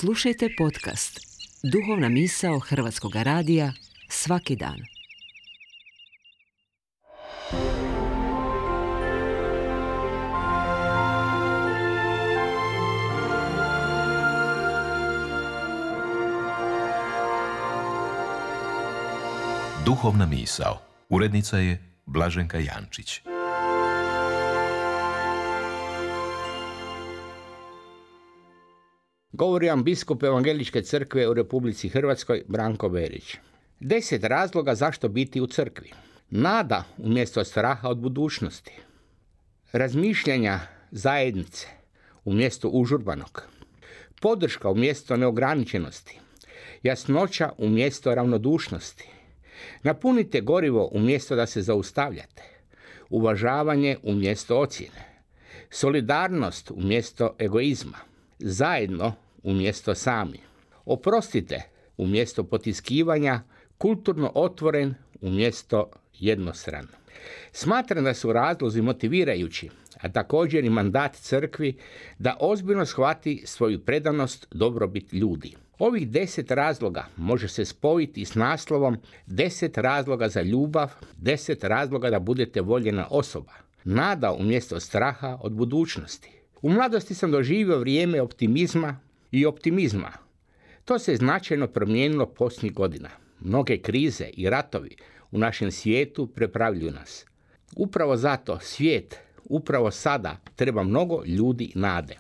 Slušajte podcast Duhovna misao Hrvatskog radija svaki dan. Duhovna misao. Urednica je Blaženka Jančić. Govori vam biskup Evangeličke crkve u Republici Hrvatskoj Branko Berić. 10 razloga zašto biti u crkvi. Nada umjesto straha od budućnosti. Razmišljanja zajednice umjesto užurbanog. Podrška umjesto neograničenosti. Jasnoća umjesto ravnodušnosti. Napunite gorivo umjesto da se zaustavljate. Uvažavanje umjesto ocjene. Solidarnost umjesto egoizma. Zajedno umjesto sami. Oprostite umjesto potiskivanja. Kulturno otvoren umjesto jednostran. Smatram da su razlozi motivirajući, a također i mandat crkvi da ozbiljno shvati svoju predanost dobrobit ljudi. Ovih 10 razloga može se spojiti s naslovom 10 razloga za ljubav, 10 razloga da budete voljena osoba. Nada umjesto straha od budućnosti. U mladosti sam doživio vrijeme optimizma. To se značajno promijenilo posljednjih godina. Mnoge krize i ratovi u našem svijetu prepravljuju nas. Upravo zato svijet, upravo sada, treba mnogo ljudi nade.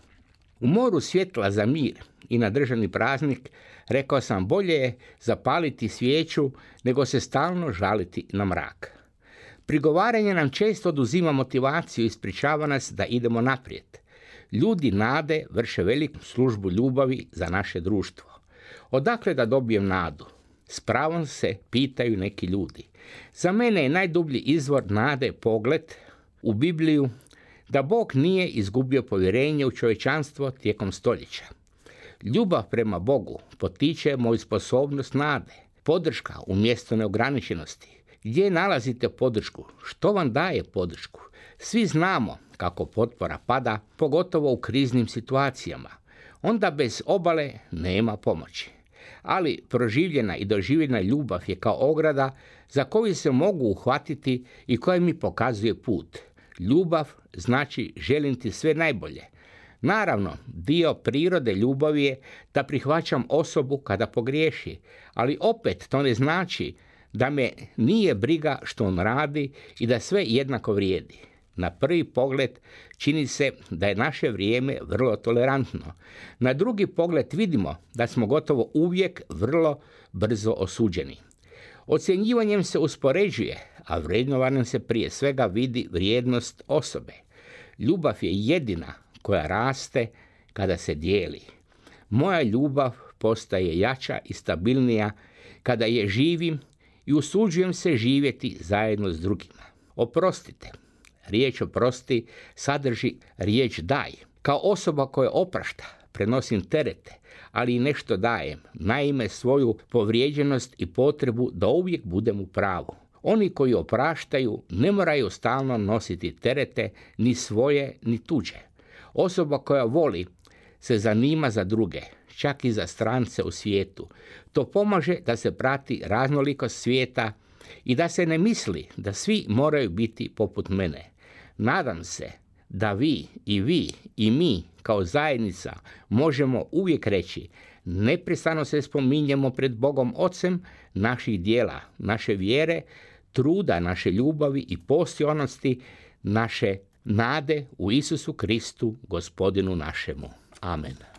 U moru svjetla za mir i na državni praznik rekao sam bolje je zapaliti svijeću nego se stalno žaliti na mrak. Prigovaranje nam često oduzima motivaciju i ispričava nas da idemo naprijed. Ljudi nade vrše veliku službu ljubavi za naše društvo. Odakle da dobijem nadu? S pravom se pitaju neki ljudi. Za mene je najdublji izvor nade pogled u Bibliju da Bog nije izgubio povjerenje u čovječanstvo tijekom stoljeća. Ljubav prema Bogu potiče moju sposobnost nade, podrška umjesto neograničenosti. Gdje nalazite podršku? Što vam daje podršku? Svi znamo kako potpora pada, pogotovo u kriznim situacijama. Onda bez obale nema pomoći. Ali proživljena i doživljena ljubav je kao ograda za koju se mogu uhvatiti i koja mi pokazuje put. Ljubav znači želim ti sve najbolje. Naravno, dio prirode ljubavi je da prihvaćam osobu kada pogriješi, ali opet to ne znači da me nije briga što on radi i da sve jednako vrijedi. Na prvi pogled čini se da je naše vrijeme vrlo tolerantno. Na drugi pogled vidimo da smo gotovo uvijek vrlo brzo osuđeni. Ocjenjivanjem se uspoređuje, a vrednovanjem se prije svega vidi vrijednost osobe. Ljubav je jedina koja raste kada se dijeli. Moja ljubav postaje jača i stabilnija kada je živim i usuđujem se živjeti zajedno s drugima. Oprostite. Riječ oprosti sadrži riječ daj. Kao osoba koja oprašta, prenosim terete, ali i nešto dajem. Naime, svoju povrijeđenost i potrebu da uvijek budem u pravu. Oni koji opraštaju ne moraju stalno nositi terete, ni svoje, ni tuđe. Osoba koja voli se zanima za druge, čak i za strance u svijetu. To pomaže da se prati raznolikost svijeta i da se ne misli da svi moraju biti poput mene. Nadam se da vi i mi kao zajednica možemo uvijek reći neprestano se spominjemo pred Bogom Ocem naših dijela, naše vjere, truda, naše ljubavi i postojnosti, naše nade u Isusu Kristu, Gospodinu našemu. Amen.